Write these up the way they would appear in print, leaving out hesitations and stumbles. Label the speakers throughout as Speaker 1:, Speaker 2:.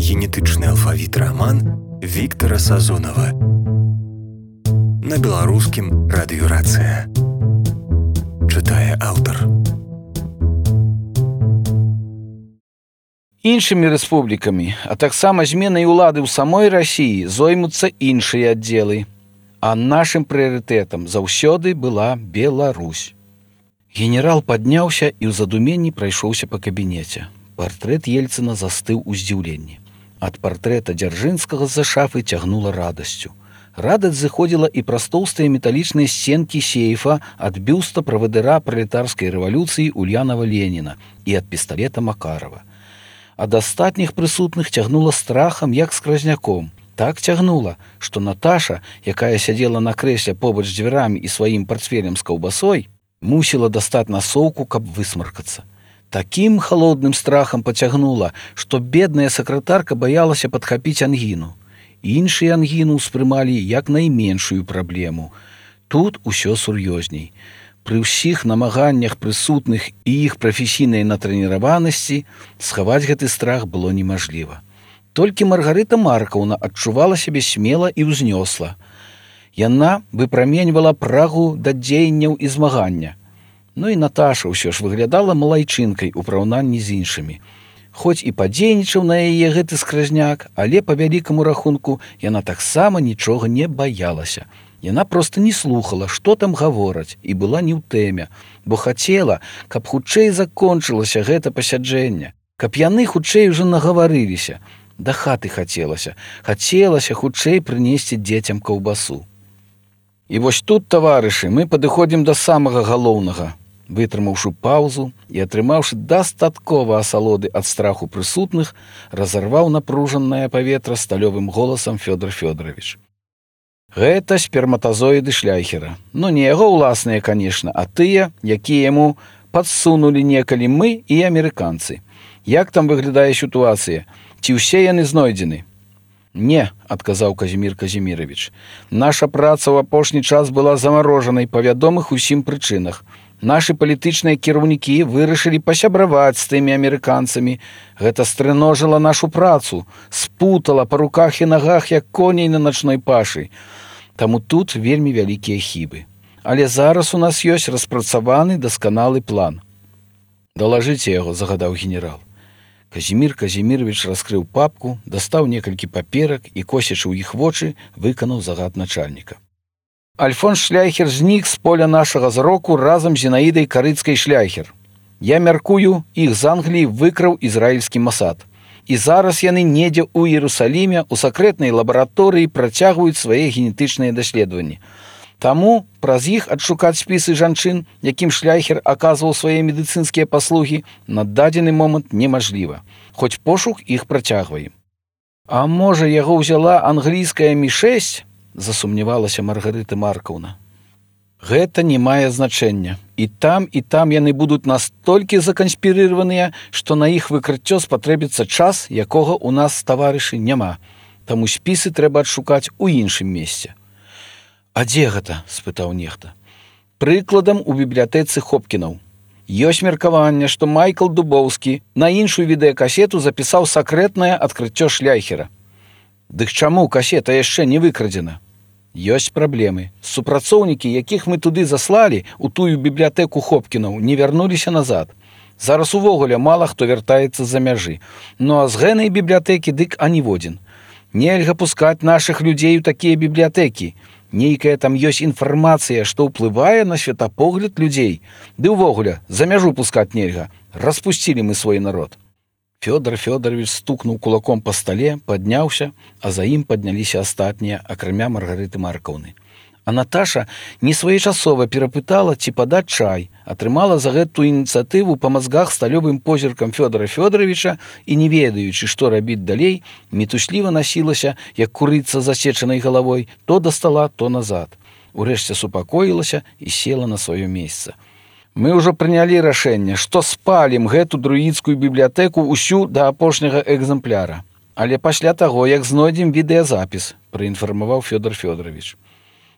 Speaker 1: Генетычны алфавіт раман Віктара Сазонава. На беларускім радыёрацыя. Чытае аўтар.
Speaker 2: Іншымі рэспублікамі, а таксама зменай улады ў самой Расіі зоймуцца іншыя аддзелы. А нашым прыярытэтам заўсёды была Беларусь. Генерал падняўся і ў задуменні прайшоўся па кабінеце. Партрэт Ельцына застыў у здзіўленні. Ад партрэта Дзяржынскага з-за шафы цягнула радасцю. Радасць зыходзіла і праз тоўстыя металічныя сценкі сейфа ад бюста правадыра пралетарскай рэвалюцыі Ульянава Леніна і ад пісталета Макарова. Ад астатніх прысутных цягнула страхам, як скразняком. Так цягнула, што Наташа, якая сядзела на крэсле побач з дзвярамі і сваім партфелем з каўбасой, мусіла дастаць насоўку, каб высмаркацца. Такім халодным страхам пацягнула, што бедная сакратарка баялася падхапіць ангіну. Іншыя ангіну ўспрымалі як найменшую праблему. Тут усё сур'ёзней. Пры ўсіх намаганнях прысутных і іх прафесійнай натрэніраванасці схаваць гэты страх было немажліва. Толькі Маргарыта Маркаўна адчувала сябе смела і ўзнёсла. Яна выпраменьвала прагу да дзеянняў і змагання. Ну і Наташа ўсё ж выглядала малайчынкай у параўнанні з іншымі. Хоць і падзейнічаў на яе гэты скразняк, але па вялікаму рахунку яна таксама нічога не баялася. Яна проста не слухала, што там гавораць, і была не ў тэме, бо хацела, каб хутчэй закончылася гэта пасяджэнне, каб яны хутчэй ужо нагаварыліся. Да хаты хацелася хутчэй прынесці дзецям каўбасу. І вось тут, таварышы, мы падыходзім да самага галоўнага. Вытрымаўшы паўзу і атрымаўшы дастаткова асалоды ад страху прысутных, разарваў напружанае паветра сталёвым голасам Фёдор Фёдорович. Гэта сперматазоіды Шляйхера. Ну, не яго ўласныя, канешне, а тыя, якія яму падсунулі некалі мы і амерыканцы. Як там выглядае сітуацыя? Ці ўсе яны знойдзены? Не, адказаў Казімір Казімірович. Наша праца ў апошні час была замарожанай па вядомых усім прычынах. Нашы палітычныя кіраўнікі вырашылі пасябраваць з тымі амерыканцамі. Гэта стрыножыла нашу працу, спутала па руках і нагах, як коней на начной пашы. Таму тут вельмі вялікія хібы. Але зараз у нас ёсць распрацаваны дасканалы план. Далажыце яго, загадаў генерал. Казімір Казімірович раскрыў папку, дастаў некалькі паперак і, косячы ў іх вочы, выканаў загад начальніка. Альфонс Шляйхер знік з поля нашага зроку разам з Зінаідай Карыцкай Шляйхер. Я мяркую, іх з Англіі выкраў ізраільскі Масад. І зараз яны недзе ў Іерусаліме у сакрэтнай лабараторыі працягваюць свае генетычныя даследаванні. Таму праз іх адшукаць спісы жанчын, якім Шляйхер аказваў свае медыцынскія паслугі, на дадзены момант немажліва. Хоць пошук іх працягваем. А можа, яго ўзяла англійская Мі-6? Засумнявалася Маргарыта Маркаўна. Гэта не мае значэння. І там яны будуць настолькі заканспірыраваныя, што на іх выкрыццё спатрэбіцца час, якога ў нас, таварышы, няма. Таму спісы трэба адшукаць у іншым месцы. А дзе гэта? Спытаў нехта. Прыкладам у бібліятэцы Хопкінаў. Ёсць меркаванне, што Майкл Дубоўскі на іншую відэакасету запісаў сакрэтнае адкрыццё Шляйхера. Дык чаму касета яшчэ не выкрадзена? Ёсць праблемы. Супрацоўнікі, якіх мы туды заслалі, у тую бібліятэку Хопкінаў, не вярнуліся назад. Зараз увогуле мала хто вяртаецца з-за мяжы. Ну а з гэнай бібліятэкі дык аніводзін. Нельга пускаць нашых людзей у такія бібліятэкі. Нейкая там ёсць інфармацыя, што ўплывае на светапогляд людзей. Ды ўвогуле, за мяжу пускаць нельга. Распусцілі мы свой народ. Фёдор Фёдорович стукнуў кулаком па стале, падняўся, а за ім падняліся астатнія, акрамя Маргарыты Маркаўны. А Наташа несвоечасова перапытала, ці падаць чай, атрымала за гэту ініцыятыву па мазгах сталёвым позіркам Фёдора Фёдоровича і, не ведаючы, што рабіць далей, мітусліва насілася, як курыца з засечанай галавой, то да стала, то назад. Урэшце супакоілася і села на сваё месца. Мы ўжо прынялі рашэнне, што спалім гэту друідскую бібліятэку ўсю да апошняга экзэмпляра. Але пасля таго, як знойдзем відэазапіс, праінфармаваў Фёдор Фёдорович.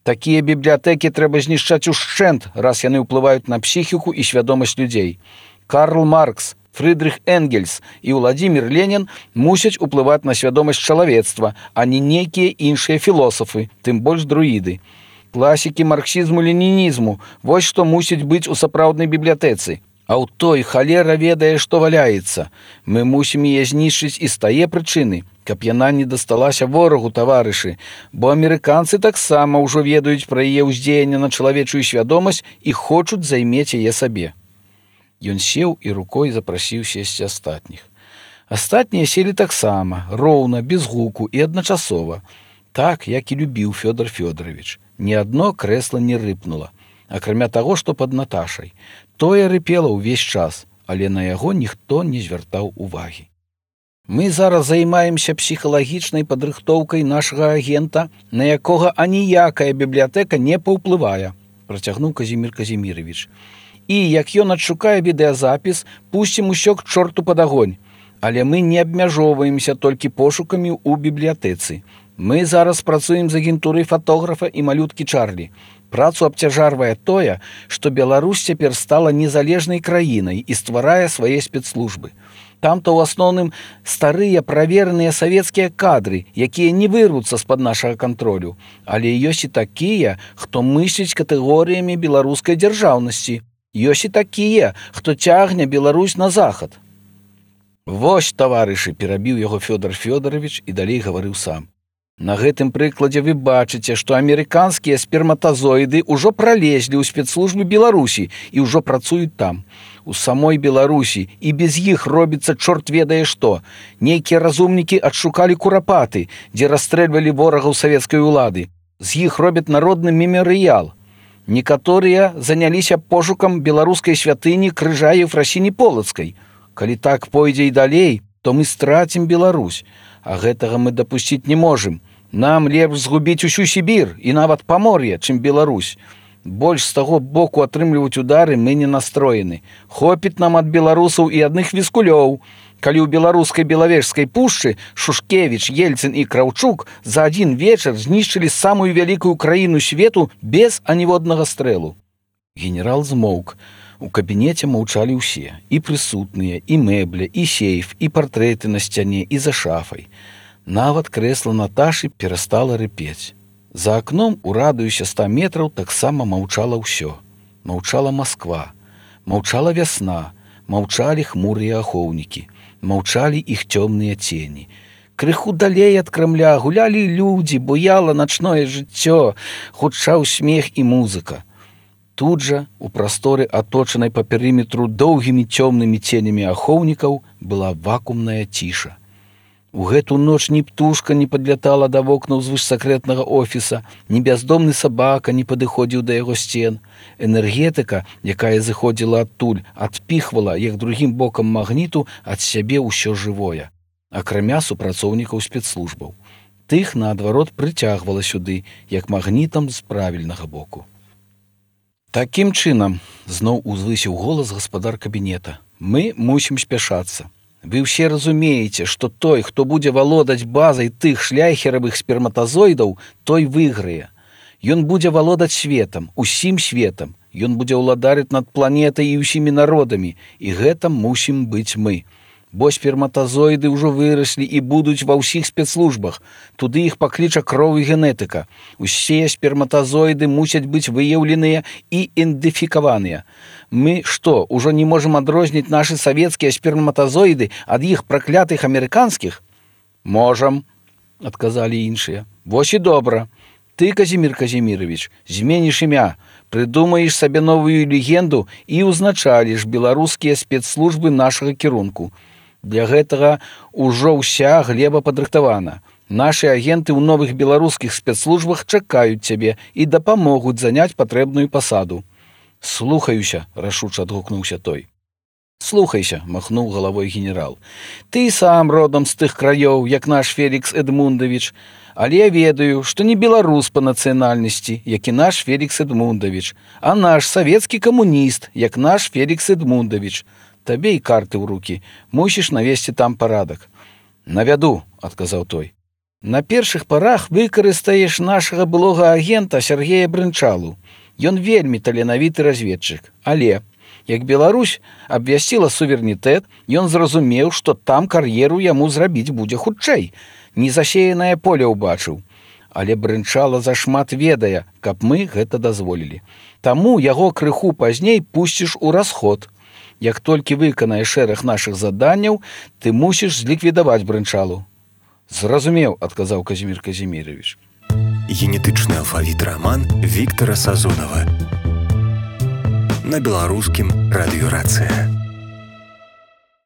Speaker 2: Такія бібліятэкі трэба знішчаць ушчэнт, раз яны ўплываюць на псіхіку і свядомасць людзей. Карл Маркс, Фрыдрых Энгельс і Владзімір Ленін мусяць уплываць на свядомасць чалавецтва, а не нейкія іншыя філосафы, тым больш друіды. Класікі марксізму-ленінізму, вось што мусіць быць у сапраўднай бібліятэцы. А ў той халера ведае, што валяецца. Мы мусім яе знішчыць і з тае прычыны, каб яна не дасталася ворагу, таварышы, бо амерыканцы таксама ўжо ведаюць пра яе ўздзеянне на чалавечую свядомасць і хочуць займець яе сабе. Ён сеў і рукой запрасіў сесці астатніх. Астатнія селі таксама, роўна, без гуку і адначасова. Так, як і любіў Фёдор Фёдорович. Ні адно крэсла не рыпнула, акрамя таго, што пад Наташай. Тое рыпела ўвесь час, але на яго ніхто не звяртаў увагі. Мы зараз займаемся псіхалагічнай падрыхтоўкай нашага агента, на якога аніякая бібліятэка не паўплывае, працягнуў Казімір Казімірович. І, як ён адшукае відэазапіс, пусцім усё к чорту пад агонь. Але мы не абмяжоўваемся толькі пошукамі ў бібліятэцы. Мы зараз працуем з агентурай фатографа і малюткі Чарлі. Працу абцяжарвае тое, што Беларусь цяпер стала незалежнай краінай і стварае свае спецслужбы. Там-то ў асноўным старыя правераныя савецкія кадры, якія не вырвуцца з-пад нашага кантролю. Але ёсць і такія, хто мысліць катэгорыямі беларускай дзяржаўнасці. Ёсць і такія, хто цягне Беларусь на захад. Вось, таварышы, перабіў яго Фёдор Фёдорович і далей гаварыў сам. На гэтым прыкладзе вы бачыце, што амерыканскія сперматазоіды ўжо пралезлі ў спецслужбы Беларусі і ўжо працуюць там. У самой Беларусі і без іх робіцца чорт ведае што. Нейкія разумнікі адшукалі курапаты, дзе расстрэльвалі ворагаў савецкай улады. З іх робяць народны мемарыял. Некаторыя заняліся пошукам беларускай святыні крыжа Ефрасіні Полацкай. Калі так пойдзе і далей, то мы страцім Беларусь. А гэтага мы дапусціць не можам. Нам лепш згубіць усю Сібір і нават Памор'е, чым Беларусь. Больш з таго боку атрымліваць удары мы не настроены. Хопіць нам ад беларусаў і адных віскулёў. Калі ў беларускай Белавежскай пушчы Шушкевіч, Ельцын і Краўчук за адзін вечар знішчылі самую вялікую краіну свету без аніводнага стрэлу. Генерал змоўк. У кабінеце маўчалі ўсе, і прысутныя, і мэбля, і сейф, і партрэты на сцяне, і за шафай. Нават крэсла Наташы перастала рыпець. За акном у радыусе 100 метраў таксама маўчала ўсё. Маўчала Масква, маўчала вясна, маўчалі хмурыя ахоўнікі, маўчалі іх цёмныя цені. Крыху далей ад Крамля гулялі людзі, буяла начное жыццё, гучаў смех і музыка. Тут жа, у прасторы, аточанай па перыметру доўгімі цёмнымі ценямі ахоўнікаў, была вакуумная ціша. У гэту ноч ні птушка не падлятала да вокнаў звышсакрэтнага офіса, ні бяздомны сабака не падыходзіў да яго сцен. Энергетыка, якая зыходзіла адтуль, адпіхвала, як другім бокам магніту, ад сябе ўсё жывое, акрамя супрацоўнікаў спецслужбаў. Тых, наадварот, прыцягвала сюды, як магнітам з правільнага боку. Такім чынам, зноў узвысіў голас гаспадар кабінета, мы мусім спяшацца. Вы ўсе разумееце, што той, хто будзе валодаць базай тых шляйхеравых сперматазоідаў, той выйграе. Ён будзе валодаць светам, усім светам. Ён будзе ўладарыць над планетай і ўсімі народамі, і гэта мусім быць мы. Бо сперматазоіды ўжо выраслі і будуць ва ўсіх спецслужбах. Туды іх пакліча кроў і генетыка. Усе сперматазоіды мусяць быць выяўленыя і ідэнтыфікаваныя. Мы што, ужо не можам адрозніць нашы савецкія сперматазоіды ад іх праклятых амерыканскіх? Можам, адказалі іншыя. Вось і добра. Ты, Казімір Казімірович, зменіш імя, прыдумаеш сабе новую легенду і ўзначаліш беларускія спецслужбы нашага кірунку. Для гэтага ўжо ўся глеба падрыхтавана. Нашы агенты ў новых беларускіх спецслужбах чакаюць цябе і дапамогуць заняць патрэбную пасаду. Слухаюся, рашуча адгукнуўся той. Слухайся, махнуў галавой генерал. Ты сам родам з тых краёў, як наш Фелікс Эдмундавіч, але я ведаю, што не беларус па нацыянальнасці, як і наш Фелікс Эдмундавіч, а наш савецкі камуніст, як наш Фелікс Эдмундавіч. Табе і карты ў рукі, мусіш навесці там парадак. Навяду, адказаў той. На першых парах выкарыстаеш нашага былога агента Сергея Брынчалу. Ён вельмі таленавіты разведчык, але Як Беларусь абвясціла суверэнітэт, ён зразумеў, што там кар'еру яму зрабіць будзе хутчэй. Незасеянае поле ўбачыў. Але Брынчала зашмат ведае, каб мы гэта дазволілі. Таму яго крыху пазней пусціш у расход. Як толькі выканаеш шэраг нашых заданняў, ты мусіш зліквідаваць Брынчалу. Зразумеў, адказаў Казімір Казімірович.
Speaker 1: Генетычны алфавіт раман Віктара Сазонава. На беларускім радыёрацыя.